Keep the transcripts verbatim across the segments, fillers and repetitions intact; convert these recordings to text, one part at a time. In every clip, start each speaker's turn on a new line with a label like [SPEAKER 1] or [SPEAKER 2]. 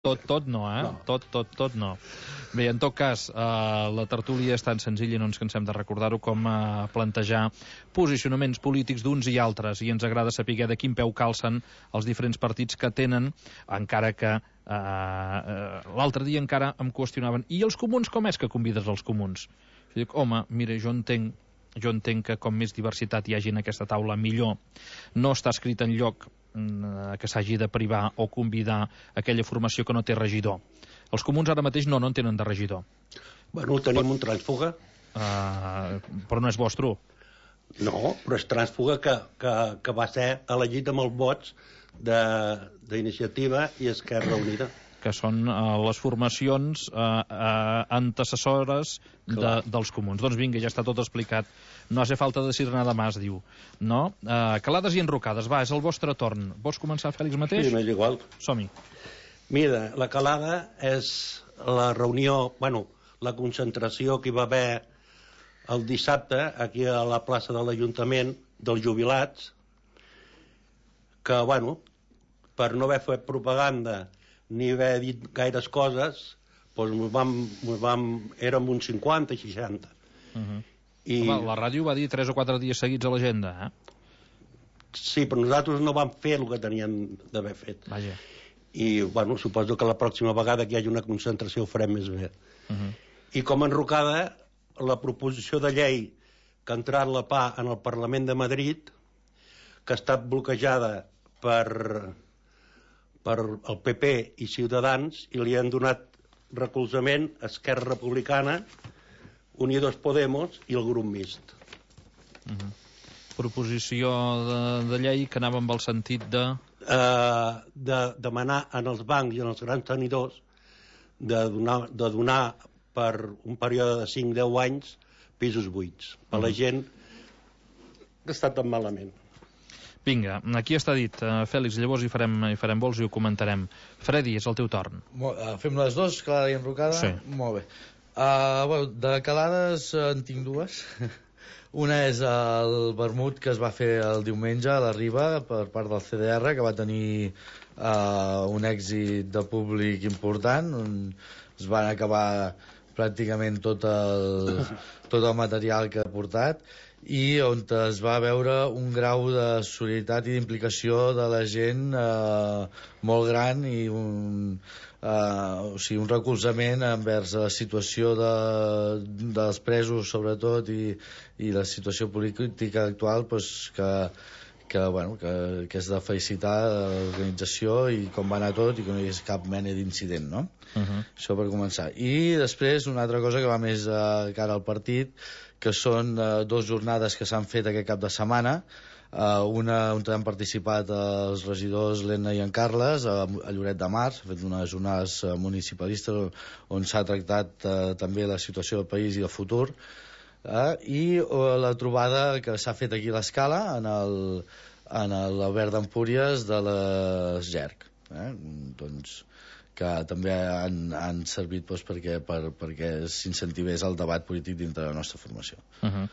[SPEAKER 1] Tot, tot no, eh?
[SPEAKER 2] No.
[SPEAKER 1] Tot, tot, tot no. Bé, en tot cas, eh, la tertúlia és tan senzilla i no ens cansem de recordar-ho com eh, plantejar posicionaments polítics d'uns i altres, i ens agrada saber de quin peu calcen els diferents partits que tenen, encara que eh, eh, l'altre dia encara em qüestionaven, i els comuns com és que convides els comuns? Jo dic, home, mira, jo entenc jo entenc que com més diversitat hi hagi en aquesta taula, millor. No està escrit en lloc que s'hagi de privar o convidar aquella formació que no té regidor. Els comuns ara mateix no, no en tenen de regidor.
[SPEAKER 2] Bueno, tenim però, un trànsfuga.
[SPEAKER 1] Uh, però no és vostre.
[SPEAKER 2] No, però és trànsfuga que, que, que va ser elegit amb els vots d'Iniciativa i Esquerra Unida.
[SPEAKER 1] Que són uh, les formacions uh, uh, antecessores de, dels comuns. Doncs vinga, ja està tot explicat. No hace falta decir nada más, diu. No? Uh, calades i enrocades. Va, és el vostre torn. Vols començar, Fèlix, mateix?
[SPEAKER 2] Sí, m'és igual.
[SPEAKER 1] Som-hi.
[SPEAKER 2] Mira, la calada és la reunió, bueno, la concentració que hi va haver el dissabte aquí a la plaça de l'Ajuntament dels jubilats, que, bueno, per no haver fet propaganda ni haver dit gaires coses, doncs vam, vam, érem uns cinquanta, seixanta.
[SPEAKER 1] Uh-huh. I... Home, la ràdio va dir tres o quatre dies seguits a l'agenda, eh?
[SPEAKER 2] Sí, però nosaltres no vam fer el que teníem d'haver fet.
[SPEAKER 1] Vaja.
[SPEAKER 2] I, bueno, suposo que la pròxima vegada que hi hagi una concentració ho farem més bé.
[SPEAKER 1] Uh-huh.
[SPEAKER 2] I com a enrocada, la proposició de llei que ha entrat la P A en el Parlament de Madrid, que ha estat bloquejada per... per el P P i Ciutadans, i li han donat recolzament a Esquerra Republicana, Unidos Podemos i el grup mixt.
[SPEAKER 1] Uh-huh. Proposició de, de llei que anava amb el sentit de...
[SPEAKER 2] Uh, de demanar en els bancs i en els grans tenidors de donar, de donar per un període de cinc a deu anys pisos buits per uh-huh. la gent que està tan malament.
[SPEAKER 1] Vinga, aquí està dit, uh, Fèlix, llavors hi farem, hi farem vols i ho comentarem. Freddy, és el teu torn.
[SPEAKER 3] Molt, uh, fem les dues, calada i enrocada?
[SPEAKER 1] Sí.
[SPEAKER 3] Molt bé. Uh, bueno, de calades uh, en tinc dues. Una és el vermut que es va fer el diumenge a la Riba per part del C D R, que va tenir uh, un èxit de públic important, on es van acabar pràcticament tot el, tot el material que ha portat, i on es va veure un grau de solidaritat i d'implicació de la gent eh, molt gran, i un, eh, o sigui, un recolzament envers la situació de, dels presos sobretot, i, i la situació política actual, pues, que, que, bueno, que, que és de felicitar l'organització i com va anar tot, i que no hi hagués cap mena d'incident, no?
[SPEAKER 1] Uh-huh.
[SPEAKER 3] Això per començar. I després una altra cosa que va més a cara al partit, que són uh, dues jornades que s'han fet aquest cap de setmana, uh, una on han participat els regidors l'Enna i en Carles a, a Lloret de Mar. S'ha fet unes jornades uh, municipalistes on s'ha tractat uh, també la situació del país i el futur, uh, i uh, la trobada que s'ha fet aquí a l'Escala en el, en l'Albert d'Empúries de les G E R C, eh? Doncs que també han, han servit doncs, perquè, per, perquè s'incentivés el debat polític dintre de la nostra formació.
[SPEAKER 1] Uh-huh.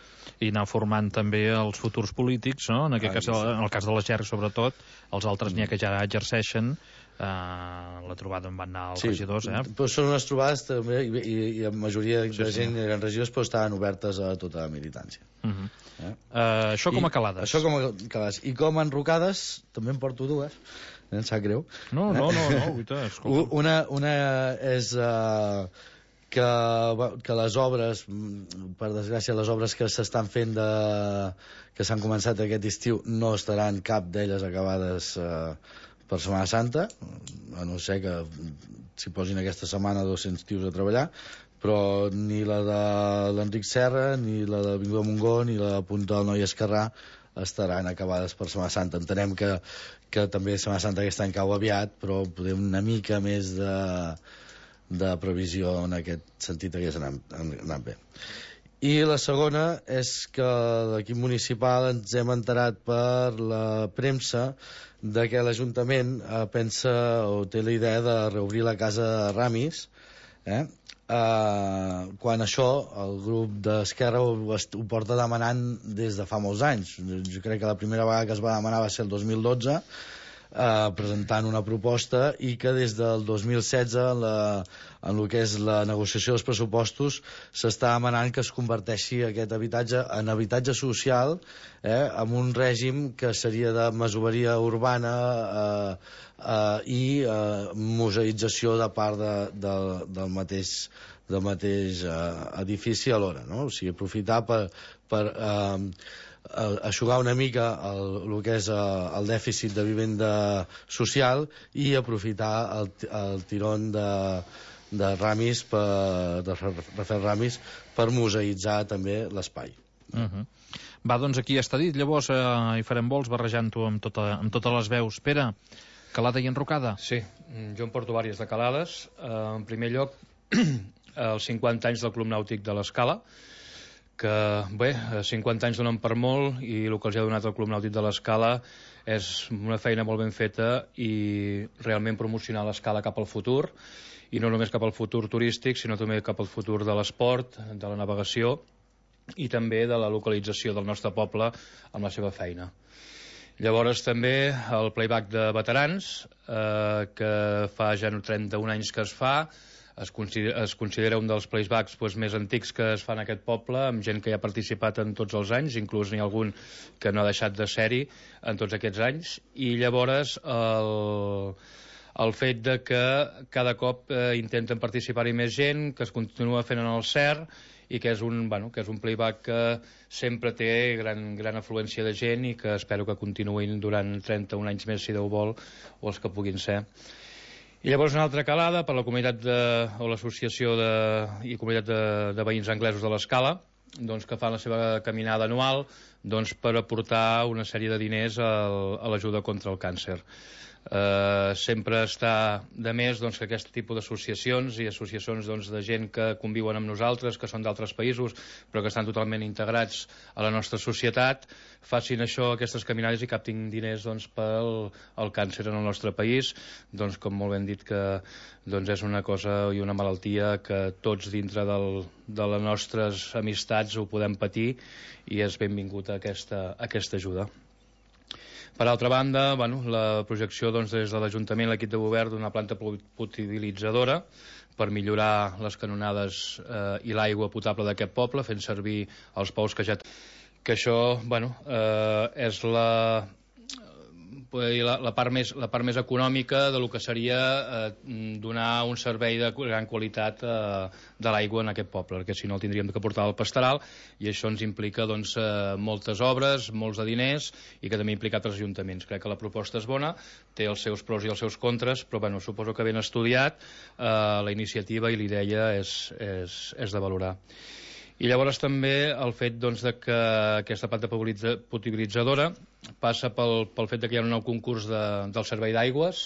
[SPEAKER 1] I anar formant també els futurs polítics, no? En aquest ah, cas, sí. En el cas de la G E R C sobretot, els altres mm. n'hi ha que ja exerceixen. Uh, la trobada on van anar els sí, regidors, eh?
[SPEAKER 3] Però són unes trobades també, i, i, i la majoria sí, de gent
[SPEAKER 1] sí.
[SPEAKER 3] eren regidors, però estaven obertes a tota la militància.
[SPEAKER 1] Uh-huh. eh? Uh, això com a calades.
[SPEAKER 3] I, això com a calades. I com a enrocades, també en porto dues. Em sap greu.
[SPEAKER 1] No, no, no, no, guita,
[SPEAKER 3] una, una és uh, que, que les obres, per desgràcia, les obres que s'estan fent de, que s'han començat aquest estiu no estaran cap d'elles acabades uh, per Setmana Santa, a no ser que s'hi posin aquesta setmana dos-cents tios a treballar, però ni la de l'Enric Serra, ni la de Avinguda Montgó, ni la de Punta del Noi Esquerrà estaran acabades per Setmana Santa. Entenem que, que també Setmana Santa aquest any cau aviat, però podem una mica més de, de previsió en aquest sentit hagués anat, anat bé. I la segona és que l'equip municipal ens hem enterat per la premsa de que l'Ajuntament eh, pensa o té la idea de reobrir la casa Ramis, eh? Uh, quan això el grup d'Esquerra ho, ho porta demanant des de fa molts anys. Jo crec que la primera vegada que es va demanar va ser el dos mil dotze, eh, presentant una proposta, i que des del dos mil setze en, la, en el que és la negociació dels pressupostos s'està demanant que es converteixi aquest habitatge en habitatge social, eh, amb un règim que seria de masoveria urbana eh, eh, i eh, museïtzació de part de, de, del mateix del mateix eh, edifici alhora, no? O sigui, aprofitar per, per eh, aixugar una mica el, el que és el dèficit de vivenda social i aprofitar el, el tirón de, de Ramis per, de Rafael Ramis per museïtzar també l'espai.
[SPEAKER 1] Uh-huh. Va, doncs aquí està dit. Llavors eh, hi farem vols barrejant-ho amb, tota, amb totes les veus. Pere, calada i enrocada?
[SPEAKER 4] Sí, jo em porto vàries de calades. Uh, en primer lloc, els cinquanta anys del Club Nàutic de l'Escala, que, bé, cinquanta anys donen per molt, i el que els ha donat el Club Nàutic de l'Escala és una feina molt ben feta i realment promocionar l'Escala cap al futur, i no només cap al futur turístic, sinó també cap al futur de l'esport, de la navegació i també de la localització del nostre poble amb la seva feina. Llavors també el playback de veterans, eh, que fa ja trenta-un anys que es fa, es considera, es considera un dels playbacks doncs, més antics que es fa en aquest poble, amb gent que hi ha participat en tots els anys, inclús n'hi ha algun que no ha deixat de ser-hi en tots aquests anys, i llavors el, el fet de que cada cop eh, intenten participar-hi més gent, que es continua fent en el C E R, i que és un, bueno, que és un playback que sempre té gran, gran afluència de gent i que espero que continuïn durant trenta-un anys més, si Déu vol, o els que puguin ser. I llavors una altra calada per la comunitat de, o l'associació de, i comunitat de, de veïns anglesos de l'Escala, doncs, que fan la seva caminada anual doncs, per aportar una sèrie de diners al, a l'ajuda contra el càncer. Eh, sempre està de més doncs, que aquest tipus d'associacions i associacions doncs, de gent que conviuen amb nosaltres, que són d'altres països però que estan totalment integrats a la nostra societat, facin això, aquestes caminades, i captin diners doncs, pel el càncer en el nostre país, doncs, com molt ben dit, que doncs, és una cosa i una malaltia que tots dintre del, de les nostres amistats ho podem patir, i és benvingut a aquesta, a aquesta ajuda. Per altra banda, bueno, la projecció doncs, des de l'Ajuntament, l'equip de govern, d'una planta potabilitzadora per millorar les canonades eh, i l'aigua potable d'aquest poble, fent servir els pous que ja... Que això, bueno, eh, és la, la, la, part més, la part més econòmica de lo que seria eh, donar un servei de gran qualitat eh, de l'aigua en aquest poble, perquè si no el tindríem que portar al pastoral, i això ens implica doncs, eh, moltes obres, molts de diners, i que també implica altres ajuntaments. Crec que la proposta és bona, té els seus pros i els seus contres, però bueno, suposo que ben estudiat, eh, la iniciativa i la idea és, és, és de valorar. I llavors també el fet doncs, de que aquesta planta potabilitzadora passa pel, pel fet de que hi ha un nou concurs de, del servei d'aigües,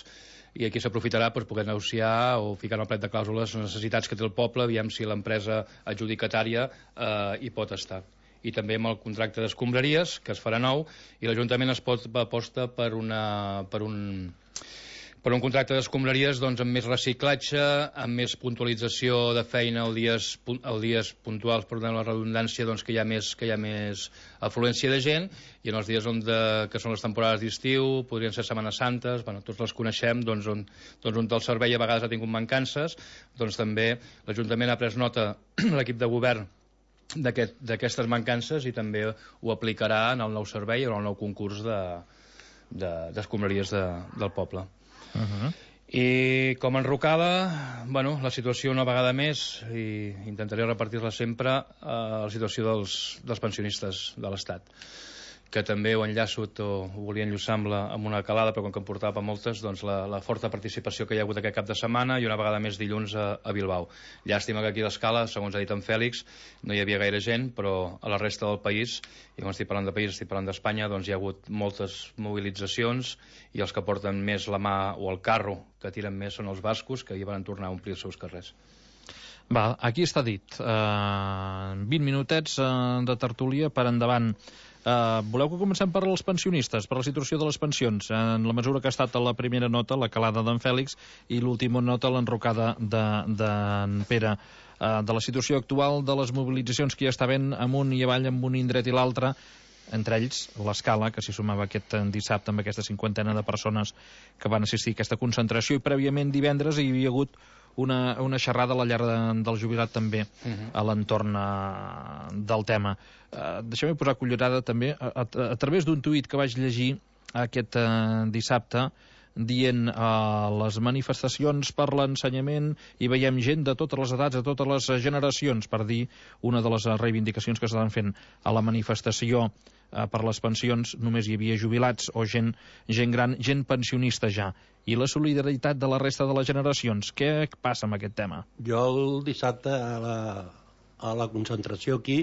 [SPEAKER 4] i aquí s'aprofitarà per poder negociar o ficar en el plec de clàusules les necessitats que té el poble, aviam si l'empresa adjudicatària eh, hi pot estar. I també amb el contracte d'escombraries, que es farà nou, i l'Ajuntament es pot aposta per, una, per un... per un contracte d'escombraries doncs, amb més reciclatge, amb més puntualització de feina els dies, els dies puntuals, per donar la redundància, doncs, que, hi ha més, que hi ha més afluència de gent, i en els dies on de, que són les temporades d'estiu, podrien ser Setmanes Santes, bueno, tots les coneixem, doncs, on, doncs, on el servei a vegades ha tingut mancances, doncs també l'Ajuntament ha pres nota, l'equip de govern, d'aquestes aquest, mancances, i també ho aplicarà en el nou servei o en el nou concurs d'escombraries de, de, del poble. Uh-huh. I com enrocada, bueno, la situació una vegada més, i intentaré repartir-la sempre, eh, la situació dels, dels pensionistes de l'Estat, que també ho enllaço o ho volia enllaçar amb, la, amb una calada, però com que em portava moltes, doncs la, la forta participació que hi ha hagut aquest cap de setmana, i una vegada més dilluns a, a Bilbao. Llàstima que aquí a l'Escala, segons ha dit en Fèlix, no hi havia gaire gent, però a la resta del país, i quan estic parlant de país, estic parlant d'Espanya, doncs hi ha hagut moltes mobilitzacions, i els que porten més la mà o el carro que tiren més són els bascos, que hi van tornar a omplir els seus carrers.
[SPEAKER 1] Va, aquí està dit. Uh, vint minutets uh, de tertúlia per endavant. Uh, voleu que comencem per als pensionistes, per la situació de les pensions, en la mesura que ha estat la primera nota, la calada d'en Fèlix, i l'última nota, l'enrocada d'en de, Pere, uh, de la situació actual, de les mobilitzacions que hi està havent amunt i avall, amb un indret i l'altre. entre ells l'Escala, que s'hi sumava aquest dissabte amb aquesta cinquantena de persones que van assistir a aquesta concentració, i prèviament divendres hi havia hagut una, una xerrada a la llar de, del jubilat també uh-huh. a l'entorn uh, del tema. Uh, Deixeu-me posar cullerada també a, a, a través d'un tuit que vaig llegir aquest uh, dissabte, dient uh, les manifestacions per l'ensenyament, i veiem gent de totes les edats, de totes les generacions, per dir una de les reivindicacions que s'estan fent a la manifestació uh, per les pensions. Només hi havia jubilats o gent, gent gran, gent pensionista ja. I la solidaritat de la resta de les generacions, què passa amb aquest tema?
[SPEAKER 2] Jo el dissabte a la, a la concentració aquí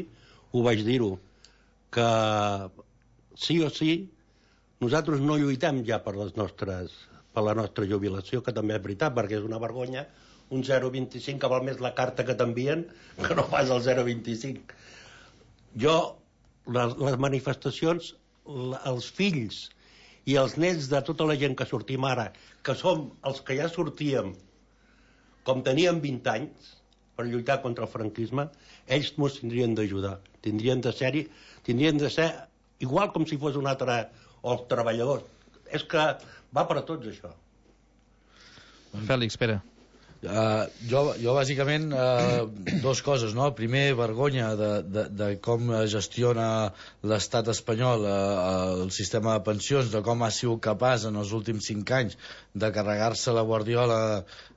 [SPEAKER 2] ho vaig dir-ho, que sí o sí nosaltres no lluitem ja per les nostres, per la nostra jubilació, que també és veritat, perquè és una vergonya un zero coma vint-i-cinc, que val més la carta que t'envien que no pas el zero coma vint-i-cinc. Jo, les, les manifestacions, els fills i els nets de tota la gent que sortim ara, que som els que ja sortíem com teníem vint anys per lluitar contra el franquisme, ells ens tindrien d'ajudar, tindrien de ser-hi, tindrien de ser igual com si fos un altre, o els treballadors. És que va per a tots, això.
[SPEAKER 1] Fèlix, espera.
[SPEAKER 3] Uh, jo, jo bàsicament uh, dos coses, no? Primer, vergonya de, de, de com gestiona l'estat espanyol uh, el sistema de pensions, de com ha sigut capaç en els últims cinc anys de carregar-se la Guardiola,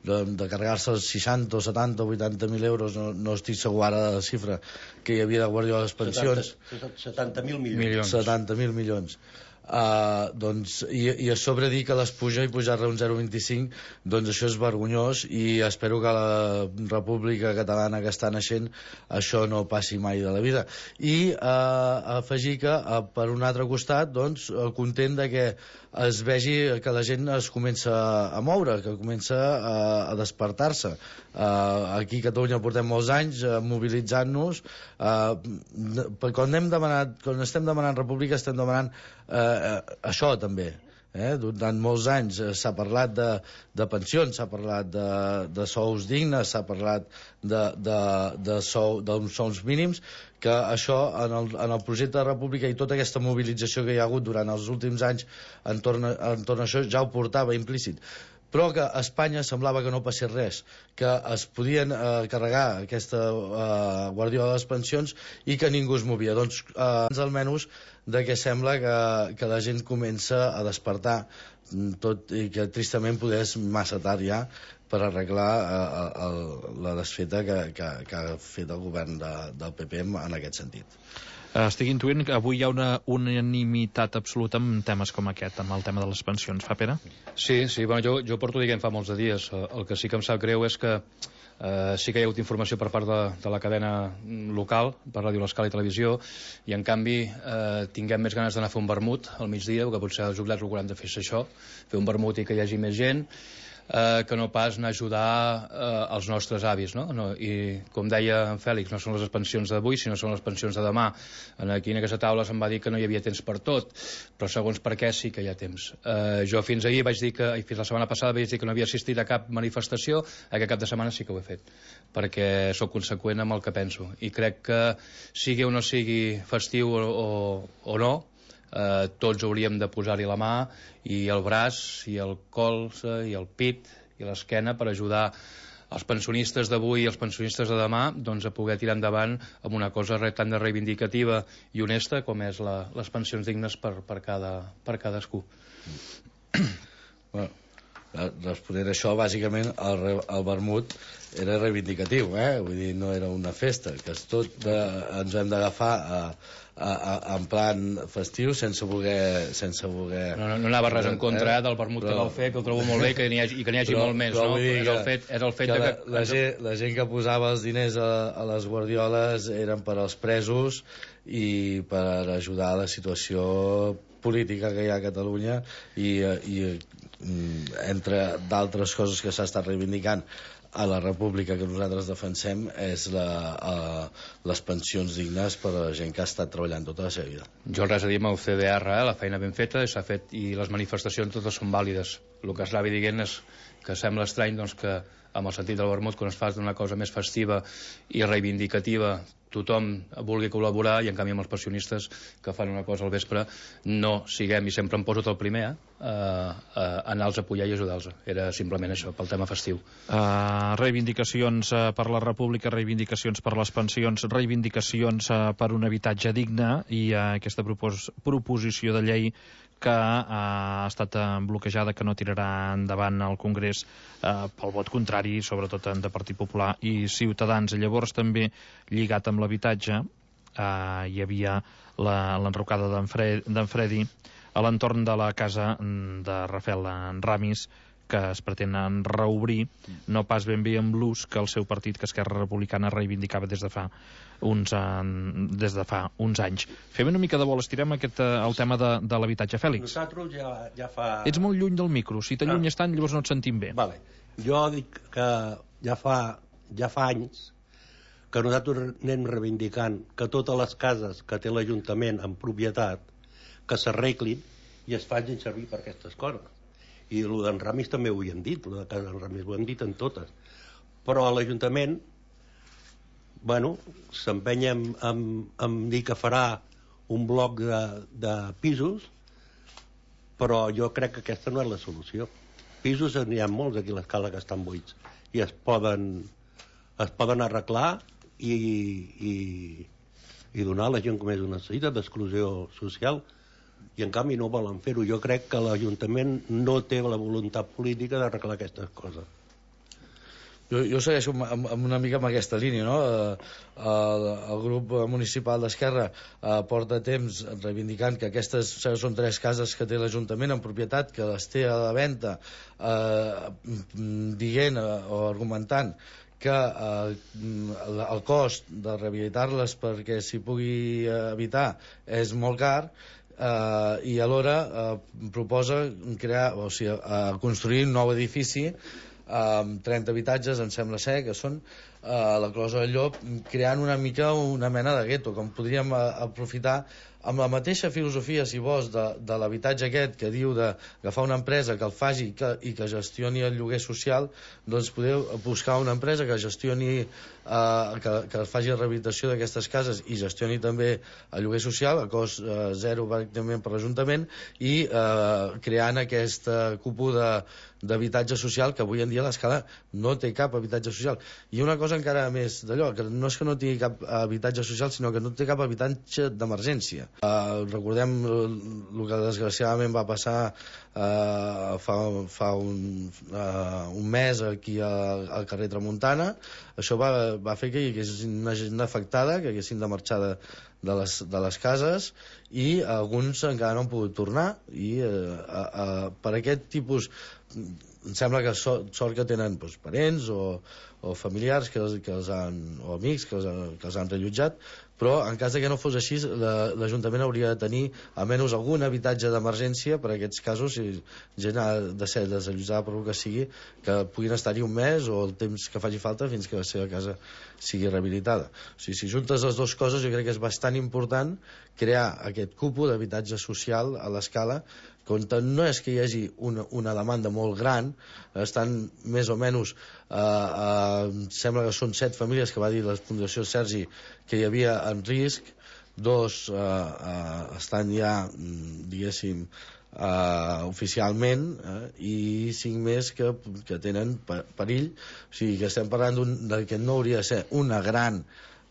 [SPEAKER 3] de, de carregar-se els seixanta o setanta o vuitanta mil euros, no, no estic segur ara de la xifra que hi havia de Guardiola a les pensions.
[SPEAKER 2] setanta mil milions.
[SPEAKER 3] setanta mil milions. Uh, doncs, i, i a sobre dir que les puja i pujar-la un zero coma vint-i-cinc, doncs això és vergonyós, i espero que a la República Catalana que està naixent això no passi mai de la vida. I uh, afegir que uh, per un altre costat, doncs, uh, content de que es vegi que la gent es comença a moure, que comença a, a despertar-se. Uh, aquí a Catalunya portem molts anys uh, mobilitzant-nos, uh, quan, hem demanat, quan estem demanant república estem demanant uh, això també. Eh? Durant molts anys eh, s'ha parlat de, de pensions, s'ha parlat de, de sous dignes, s'ha parlat de, de, de sou, d'uns sous mínims, que això en el, en el projecte de república i tota aquesta mobilització que hi ha hagut durant els últims anys entorn, entorn a això ja ho portava implícit. Però que a Espanya semblava que no passés res, que es podien eh, carregar aquesta eh, Guardiola de les pensions i que ningú es movia. Doncs eh, almenys de que sembla que, que la gent comença a despertar, tot i que tristament poder és massa tard ja per arreglar eh, el, la desfeta que, que, que ha fet el govern de, del P P en aquest sentit.
[SPEAKER 1] Estic intuint que avui hi ha una unanimitat absoluta en temes com aquest, amb el tema de les pensions. Fa, Pere?
[SPEAKER 4] Sí, sí, bueno, jo, jo porto dient fa molts de dies. El que sí que em sap greu és que eh, sí que hi ha hagut informació per part de, de la cadena local, per Ràdio L'Escala i Televisió, i en canvi eh, tinguem més ganes d'anar a fer un vermut al migdia, que potser els jubilats el que hauran de fer és això, fer un vermut i que hi hagi més gent, Eh, que no pas anar a ajudar eh, els nostres avis, no? No, i com deia en Fèlix, no són les pensions d'avui sinó són les pensions de demà. Aquí en aquesta taula se'm va dir que no hi havia temps per tot, però segons per què sí que hi ha temps. eh, jo fins ahir vaig dir que, i fins la setmana passada vaig dir que no havia assistit a cap manifestació, aquest cap de setmana sí que ho he fet, perquè sóc conseqüent amb el que penso, i crec que sigui o no sigui festiu o, o, o no, Eh, tots hauríem de posar-hi la mà i el braç i el colze i el pit i l'esquena per ajudar els pensionistes d'avui i els pensionistes de demà, doncs, a poder tirar endavant amb una cosa tan de reivindicativa i honesta com és la, les pensions dignes per, per, cada, per cadascú.
[SPEAKER 3] Bueno, responent a això, bàsicament el, el vermut era reivindicatiu, eh? Vull dir, no era una festa, que és tot de, ens hem d'agafar a A, a, en plan festiu sense voler, sense voler...
[SPEAKER 4] No, no, no anava res en contra eh? del vermut però, que vau fer, que ho trobo molt bé que n'hi hagi, i que n'hi hagi però, molt més, no? És el fet, és el fet
[SPEAKER 3] que
[SPEAKER 4] de que...
[SPEAKER 3] La, la, gent, la gent que posava els diners a, a les guardioles eren per als presos i per ajudar a la situació política que hi ha a Catalunya i, i entre d'altres coses que s'ha estat reivindicant a la república que nosaltres defensem és la, uh, les pensions dignes per a la gent que ha estat treballant tota la seva vida.
[SPEAKER 4] Jo res a dir amb el C D R, eh? La feina ben feta s'ha fet i les manifestacions totes són vàlides. El que estava dient és que sembla estrany doncs, que amb el sentit del vermut, quan es fa d'una cosa més festiva i reivindicativa, tothom vulgui col·laborar, i en canvi amb els pensionistes que fan una cosa al vespre no siguem, i sempre em poso tot el primer, eh, a anar-los a apoyar i ajudar-los. Era simplement això, pel tema festiu.
[SPEAKER 1] Uh, reivindicacions uh, per la República, reivindicacions per les pensions, reivindicacions uh, per un habitatge digne, i uh, aquesta propos proposició de llei que ha estat bloquejada, que no tirarà endavant al Congrés eh, pel vot contrari, sobretot de Partit Popular i Ciutadans. Llavors, també lligat amb l'habitatge, eh, hi havia l'enrocada d'en Fredi a l'entorn de la casa de Rafael Ramis, que es pretenen reobrir, no pas ben bé amb l'ús que el seu partit, que Esquerra Republicana, reivindicava des de fa uns, des de fa uns anys. Fem una mica de vol, estirem aquest, el tema de, de l'habitatge. Fèlix,
[SPEAKER 2] nosaltres ja, ja fa...
[SPEAKER 1] ets molt lluny del micro, si t'allunyes
[SPEAKER 2] ah.
[SPEAKER 1] tant llavors no et sentim bé.
[SPEAKER 2] Vale. Jo dic que ja fa, ja fa anys que nosaltres anem reivindicant que totes les cases que té l'Ajuntament en propietat que s'arreglin i es facin servir per aquestes coses. I el d'en Ramis també ho hem dit, el de casa d'en Ramis ho hem dit en totes. Però a l'Ajuntament, bueno, s'empenya en, en, en dir que farà un bloc de, de pisos, però jo crec que aquesta no és la solució. Pisos n'hi ha molts aquí a l'escala que estan buits i es poden, es poden arreglar i, i, i donar a la gent com és una necessitat d'exclusió social, i en canvi no volen fer-ho. Jo crec que l'Ajuntament no té la voluntat política d'arreglar aquestes coses.
[SPEAKER 3] Jo, jo segueixo amb, amb una mica amb aquesta línia, no? El, el grup municipal d'Esquerra eh, porta temps reivindicant que aquestes són tres cases que té l'Ajuntament en propietat, que les té a la venda, eh, dient eh, o argumentant que eh, el cost de rehabilitar-les perquè s'hi pugui habitar és molt car, Uh, i alhora uh, proposa crear, o sigui, uh, construir un nou edifici amb uh, trenta habitatges, em sembla ser que són uh, la Closa del Llop, creant una mica una mena de gueto, com podríem uh, aprofitar amb la mateixa filosofia, si vols, de, de l'habitatge aquest que diu d'agafar una empresa que el faci i que, i que gestioni el lloguer social, doncs podeu buscar una empresa que gestioni eh, que, que faci la rehabilitació d'aquestes cases i gestioni també el lloguer social a cost eh, zero pràcticament per l'Ajuntament, i eh, creant aquesta cúpula d'habitatge social, que avui en dia l'Escala no té cap habitatge social. I una cosa encara més d'allò, que no és que no tingui cap habitatge social, sinó que no té cap habitatge d'emergència. Uh, recordem el que desgraciadament va passar uh, fa, fa un, uh, un mes aquí al, al carrer Tramuntana. Això va, va fer que hi hagués una gent afectada, que haguessin de marxar de, de, les, de les cases, i alguns encara no han pogut tornar, i uh, uh, uh, per aquest tipus em sembla que sort, sort que tenen doncs, parents o, o familiars que els, que els han, o amics que els, que els han rellotjat, però en cas de que no fos així, l'Ajuntament hauria de tenir almenys algun habitatge d'emergència per a aquests casos, si gent ha de ser desallotjada per el que sigui, que puguin estar-hi un mes o el temps que faci falta fins que la seva casa sigui rehabilitada. O sigui, si juntes les dues coses, jo crec que és bastant important crear aquest cúpul d'habitatge social a l'Escala, on no és que hi hagi una, una demanda molt gran, estan més o menys, eh, eh, sembla que són set famílies que va dir la Fundació Sergi que hi havia en risc, dos eh, eh, estan ja, diguéssim, eh, oficialment, eh, i cinc més que, que tenen perill. O sigui que estem parlant de que no hauria de ser una gran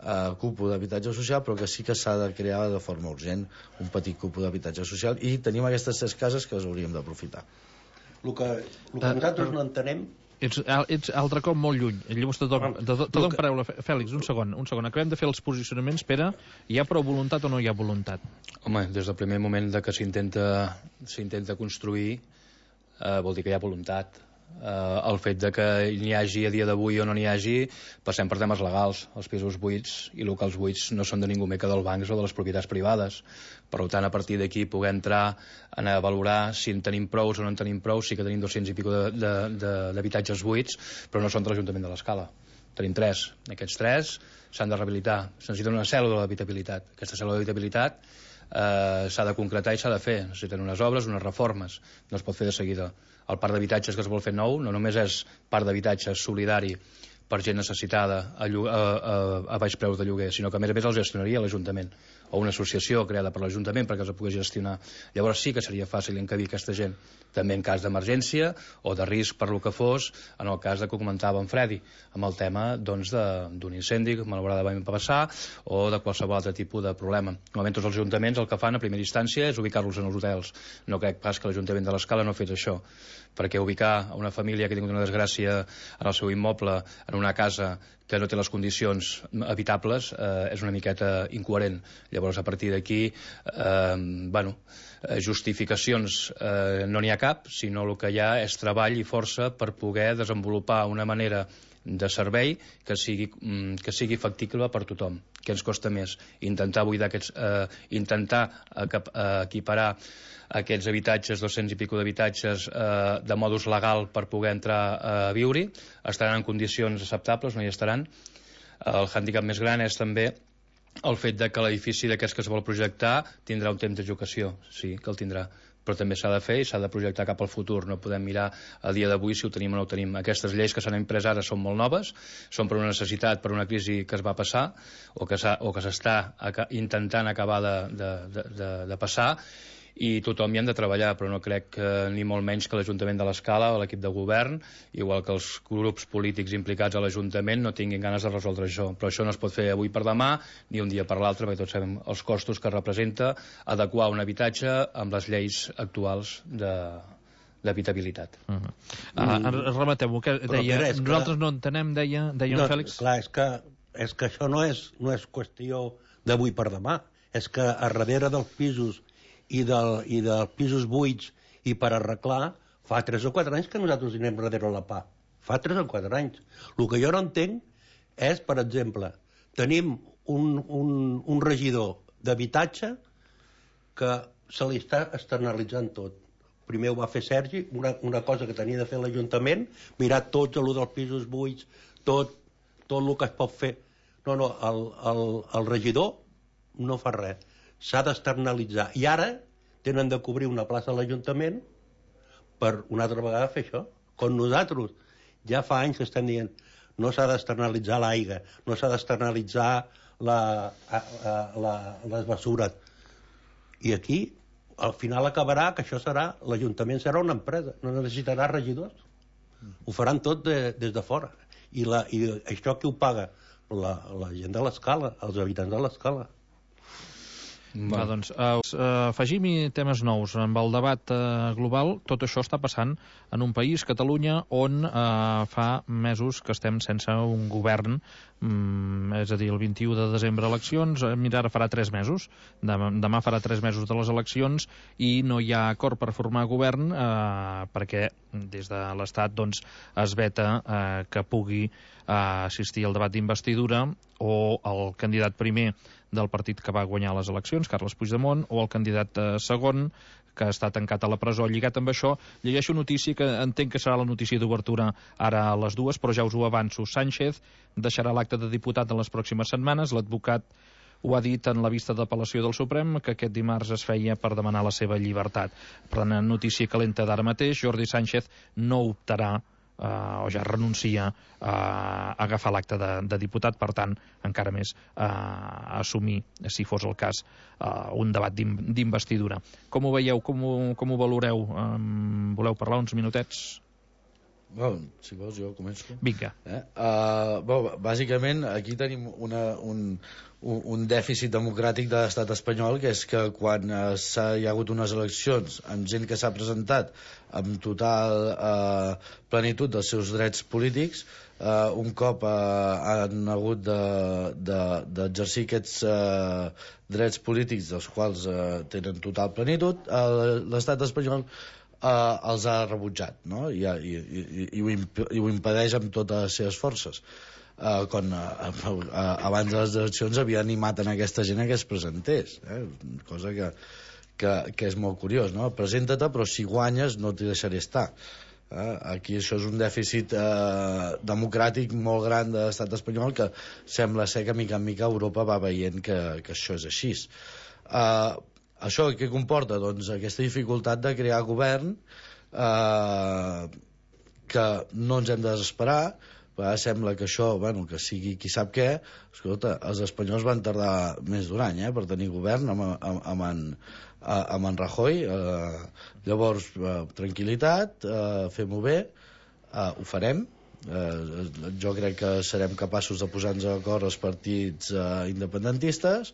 [SPEAKER 3] Uh, cúpula d'habitatge social, però que sí que s'ha de crear de forma urgent un petit cúpula d'habitatge social, i tenim aquestes tres cases que les hauríem d'aprofitar.
[SPEAKER 2] El que, el que nosaltres no entenem...
[SPEAKER 1] Ets, ets altre cop molt lluny. Llavors te dono, te dono que... paraula. Fèlix, un segon, un segon. Acabem de fer els posicionaments. Pere, hi ha prou voluntat o no hi ha voluntat?
[SPEAKER 4] Home, des del primer moment de que s'intenta s'intenta construir, eh, vol dir que hi ha voluntat. Uh, el fet de que n'hi hagi a dia d'avui o no n'hi hagi, passem per temes legals. Els pisos buits i locals buits no són de ningú més que dels bancs o de les propietats privades. Per tant, a partir d'aquí poder entrar a valorar si en tenim prous o no en tenim prous. Sí que tenim dos-cents i pico d'habitatges buits, però no són de l'Ajuntament de l'Escala. Tenim tres. Aquests tres s'han de rehabilitar. Se necessita una cèl·lula d'habitabilitat. Aquesta cèl·lula d'habitabilitat eh, s'ha de concretar i s'ha de fer. Necessiten unes obres, unes reformes. No es pot fer de seguida. El parc d'habitatges que es vol fer nou no només és parc d'habitatges solidari per gent necessitada a, a, a, a baix preus de lloguer, sinó que a més a més els gestionaria l'Ajuntament o una associació creada per l'Ajuntament perquè els pogués gestionar. Llavors sí que seria fàcil encabir aquesta gent, també en cas d'emergència o de risc per lo que fos, en el cas de que comentava en Fredi, amb el tema doncs, d'un incendi que malauradament va passar o de qualsevol altre tipus de problema. Normalment tots els ajuntaments el que fan a primera instància és ubicar-los en els hotels. No crec pas que l'Ajuntament de l'Escala no fes això, perquè ubicar a una família que ha tingut una desgràcia en el seu immoble, en una casa que no té les condicions habitables, eh, és una miqueta incoherent. Llavors, a partir d'aquí, eh, bueno, justificacions eh, no n'hi ha cap, sinó el que hi ha és treball i força per poder desenvolupar una manera de servei que sigui, que sigui factible per tothom. Què ens costa més? Intentar buidar aquests, eh, intentar equiparar aquests habitatges, dos-cents i pico d'habitatges, eh, de modus legal per poder entrar a viure-hi, estaran en condicions acceptables, no hi estaran. El hàndicap més gran és també el fet de que l'edifici d'aquests que es vol projectar tindrà un temps d'execució, sí que el tindrà, però també s'ha de fer i s'ha de projectar cap al futur. No podem mirar a dia d'avui si ho tenim o no ho tenim. Aquestes lleis que s'han imprès ara són molt noves, són per una necessitat, per una crisi que es va passar o que s'està intentant acabar de, de, de, de, de passar, i tothom hi han de treballar, però no crec que, ni molt menys que l'Ajuntament de l'Escala o l'equip de govern, igual que els grups polítics implicats a l'Ajuntament, no tinguin ganes de resoldre això. Però això no es pot fer avui per demà ni un dia per l'altre, perquè tots sabem els costos que representa adequar un habitatge amb les lleis actuals de d'habitabilitat.
[SPEAKER 1] Uh -huh. uh, Remeteu-ho, que deia, que nosaltres no entenem, deia, deia
[SPEAKER 2] no,
[SPEAKER 1] en Fèlix.
[SPEAKER 2] Clar, és que, és que això no és, no és qüestió d'avui per demà. És que a darrere dels pisos i, del, i dels pisos buits i per arreglar, fa tres o quatre anys que nosaltres anem darrere la pà. Fa tres o quatre anys. El que jo no entenc és, per exemple, tenim un, un, un regidor d'habitatge que se li està externalitzant tot. Primer ho va fer Sergi, una, una cosa que tenia de fer l'Ajuntament, mirar tots el dels pisos buits, tot, tot el que es pot fer. No, no, el, el, el regidor no fa res. S'ha d'externalitzar. I ara tenen de cobrir una plaça a l'Ajuntament per una altra vegada fer això. Com nosaltres ja fa anys que estem dient no s'ha d'externalitzar l'aigua, no s'ha d'externalitzar la, la, la, les bessures. I aquí, al final acabarà que això serà, l'Ajuntament serà una empresa, no necessitarà regidors. Ho faran tot de, des de fora. I, la, i això qui ho paga? La, la gent de l'Escala, els habitants de l'Escala.
[SPEAKER 1] Va, doncs, uh, afegim-hi temes nous. Amb el debat uh, global, tot això està passant en un país, Catalunya, on uh, fa mesos que estem sense un govern, um, és a dir, el vint-i-u de desembre eleccions, mira, ara farà tres mesos, demà, demà farà tres mesos de les eleccions, i no hi ha acord per formar govern uh, perquè des de l'Estat doncs, es veta uh, que pugui uh, assistir al debat d'investidura o el candidat primer del partit que va guanyar les eleccions, Carles Puigdemont, o el candidat eh, segon, que està tancat a la presó. Lligat amb això, llegeixo notícia que entenc que serà la notícia d'obertura ara a les dues, però ja us ho avanço. Sánchez deixarà l'acte de diputat en les pròximes setmanes. L'advocat ho ha dit en la vista d'apel·lació del Suprem, que aquest dimarts es feia per demanar la seva llibertat. Per tant, notícia calenta d'ara mateix, Jordi Sánchez no optarà Uh, o ja renuncia uh, a agafar l'acte de, de diputat, per tant, encara més uh, a assumir, si fos el cas, uh, un debat d'investidura. Com ho veieu? Com ho, com ho valoreu? Um, voleu parlar uns minutets?
[SPEAKER 3] Bueno, si vols jo començo.
[SPEAKER 1] Vinga.
[SPEAKER 3] Eh? Uh, bueno, bàsicament aquí tenim una, un, un dèficit democràtic de l'estat espanyol, que és que quan uh, s'ha, hi ha hagut unes eleccions amb gent que s'ha presentat amb total uh, plenitud dels seus drets polítics, uh, un cop uh, han hagut d'exercir de, de, aquests uh, drets polítics dels quals uh, tenen total plenitud, uh, l'estat espanyol Uh, els ha rebutjat, no? I, i, i, i, ho imp i ho impedeix amb totes les seves forces. Uh, quan uh, uh, abans de les eleccions havia animat en aquesta gent que es presentés, eh? Cosa que, que, que és molt curiós, no? Presenta-te, però si guanyes no t'hi deixaré estar. Uh, aquí això és un dèficit uh, democràtic molt gran de l'estat espanyol, que sembla ser que mica en mica Europa va veient que, que això és així. Uh, Això què comporta? Doncs aquesta dificultat de crear govern, eh, que no ens hem de desesperar, Però ara sembla que això, bueno, que sigui qui sap què. Escolta, els espanyols van tardar més d'un any eh, per tenir govern amb, amb, amb, en, amb en Rajoy. Eh, llavors, eh, tranquil·litat, eh, fem-ho bé, eh, ho farem. Eh, jo crec que serem capaços de posar-nos d'acord els partits eh, independentistes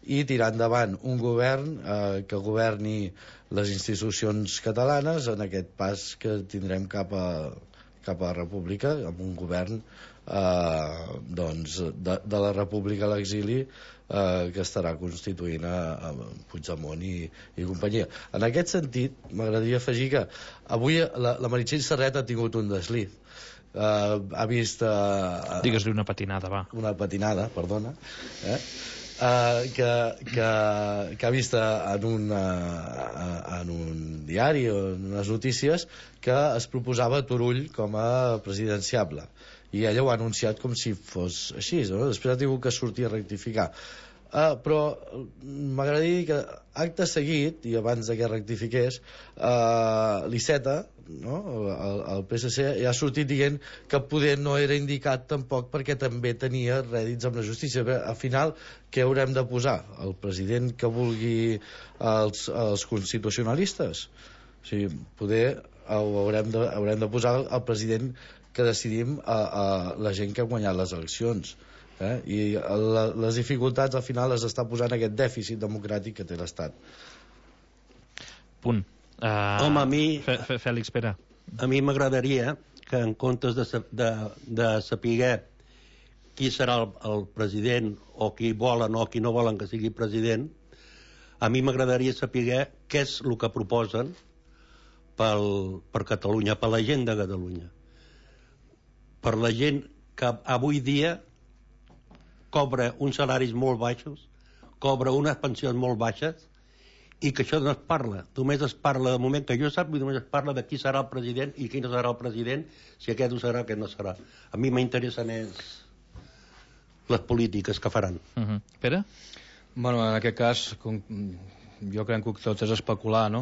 [SPEAKER 3] i tirar endavant un govern eh, que governi les institucions catalanes en aquest pas que tindrem cap a cap a la república, amb un govern eh, doncs, de, de la república a l'exili eh, que estarà constituint a, a Puigdemont i, i companyia. En aquest sentit, m'agradaria afegir que avui la, la Meritxell Serret ha tingut un desliz. Eh, ha vist... Eh,
[SPEAKER 1] Digues-li una patinada, va.
[SPEAKER 3] Una patinada, perdona. Eh? Uh, que, que, que ha vist en un, uh, en un diari o en unes notícies que es proposava Turull com a presidenciable i ella ho ha anunciat com si fos així, no? Després ha tingut que sortir a rectificar. Uh, però m'agradaria dir que acte seguit, i abans que rectifiqués, uh, l'Iceta, no? el, el P S C, ja ha sortit dient que poder no era indicat tampoc perquè també tenia rèdits amb la justícia. Però, al final, què haurem de posar? El president que vulgui els, els constitucionalistes? O sigui, poder haurem de, haurem de posar el president que decidim a, a la gent que ha guanyat les eleccions. Eh? I la, les dificultats al final les està posant aquest dèficit democràtic que té l'Estat.
[SPEAKER 1] Punt. Uh,
[SPEAKER 2] Home, a mi...
[SPEAKER 1] Fèlix, espera.
[SPEAKER 2] A mi m'agradaria que en comptes de, de, de saber qui serà el, el president o qui volen o qui no volen que sigui president, a mi m'agradaria saber què és el que proposen pel, per Catalunya, per la gent de Catalunya. Per la gent que avui dia cobra uns salaris molt baixos, cobra unes pensions molt baixes, i que això no es parla. Només es parla, de moment que jo sap, només es parla de qui serà el president i qui no serà el president, si aquest ho serà o aquest no serà. A mi m'interessen més les polítiques que faran.
[SPEAKER 1] Uh-huh. Pere?
[SPEAKER 4] Bueno, en aquest cas, com, jo crec que tot és especular, no?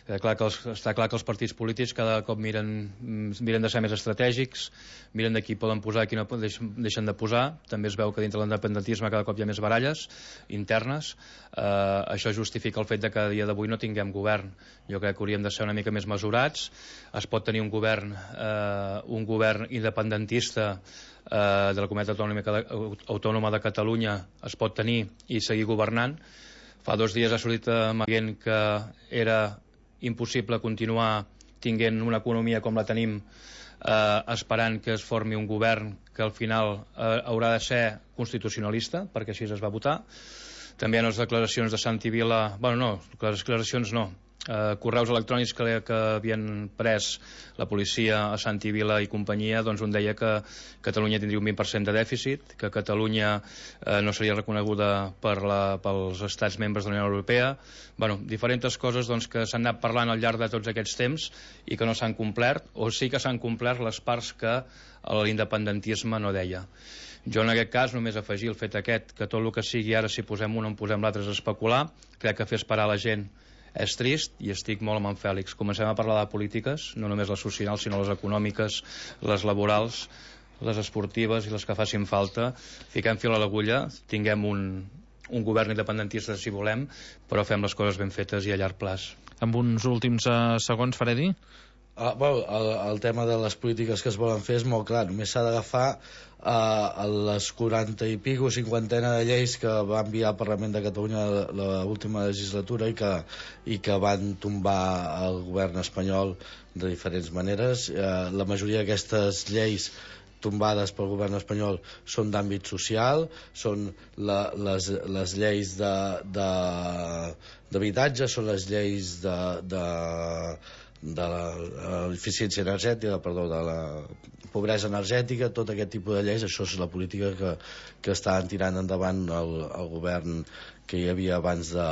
[SPEAKER 4] Eh, clar que els, està clar que els partits polítics cada cop miren, miren de ser més estratègics, miren de qui poden posar i qui no deixen de posar. També es veu que dintre l'independentisme cada cop hi ha més baralles internes. Eh, això justifica el fet de que a dia d'avui no tinguem govern. Jo crec que hauríem de ser una mica més mesurats. Es pot tenir un govern, eh, un govern independentista eh, de la Comunitat Autònoma de Catalunya, es pot tenir i seguir governant. Fa dos dies ha sortit dient que era impossible continuar tinguent una economia com la tenim eh, esperant que es formi un govern que al final eh, haurà de ser constitucionalista, perquè així es va votar. També hi ha les declaracions de Santi Vila, bueno, no, les declaracions no, eh, correus electrònics que, que havien pres la policia a Santi Vila i companyia, doncs un deia que Catalunya tindria un vint per cent de dèficit, que Catalunya eh, no seria reconeguda per la, pels estats membres de la Unió Europea. Bueno, diferents coses doncs, que s'han anat parlant al llarg de tots aquests temps i que no s'han complert, o sí que s'han complert les parts que l'independentisme no deia. Jo en aquest cas només afegir el fet aquest, que tot el que sigui ara, si posem un o en posem l'altre, és especular. Crec que fer esperar la gent és trist i estic molt amb en Fèlix. Comencem a parlar de polítiques, no només les socials, sinó les econòmiques, les laborals, les esportives i les que facin falta. Fiquem fil a l'agulla, tinguem un, un govern independentista si volem, però fem les coses ben fetes i a llarg plaç.
[SPEAKER 1] Amb uns últims uh, segons, Fredi?
[SPEAKER 3] Ah, bueno, el, el tema de les polítiques que es volen fer és molt clar. Només s'ha d'agafar uh, les quaranta i pico, cinquantena de lleis que va enviar al Parlament de Catalunya l'última legislatura i que, i que van tombar el govern espanyol de diferents maneres. Uh, la majoria d'aquestes lleis tombades pel govern espanyol són d'àmbit social, són la, les, les lleis d'habitatge, són les lleis de... de de l'eficiència energètica, perdó, de la pobresa energètica, tot aquest tipus de lleis. Això és la política que, que estan tirant endavant el, el govern que hi havia abans de,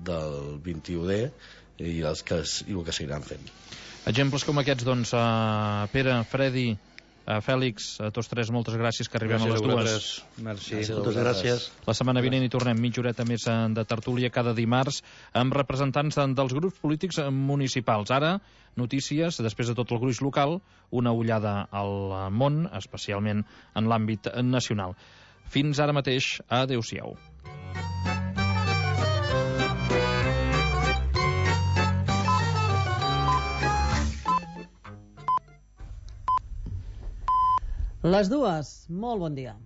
[SPEAKER 3] del vint-i-u D i, els que, i el que seguiran fent.
[SPEAKER 1] Exemples com aquests, doncs, uh, Pere, Fredi, Uh, Fèlix, a tots tres, moltes gràcies, que arribem
[SPEAKER 4] gràcies
[SPEAKER 1] a les dues.
[SPEAKER 4] Merci.
[SPEAKER 2] Moltes gràcies.
[SPEAKER 1] La setmana vinent hi tornem, mitja horeta més de tertúlia cada dimarts, amb representants dels grups polítics municipals. Ara, notícies, després de tot el gruix local, una ullada al món, especialment en l'àmbit nacional. Fins ara mateix, adéu-siau.
[SPEAKER 5] Les dues, molt bon dia.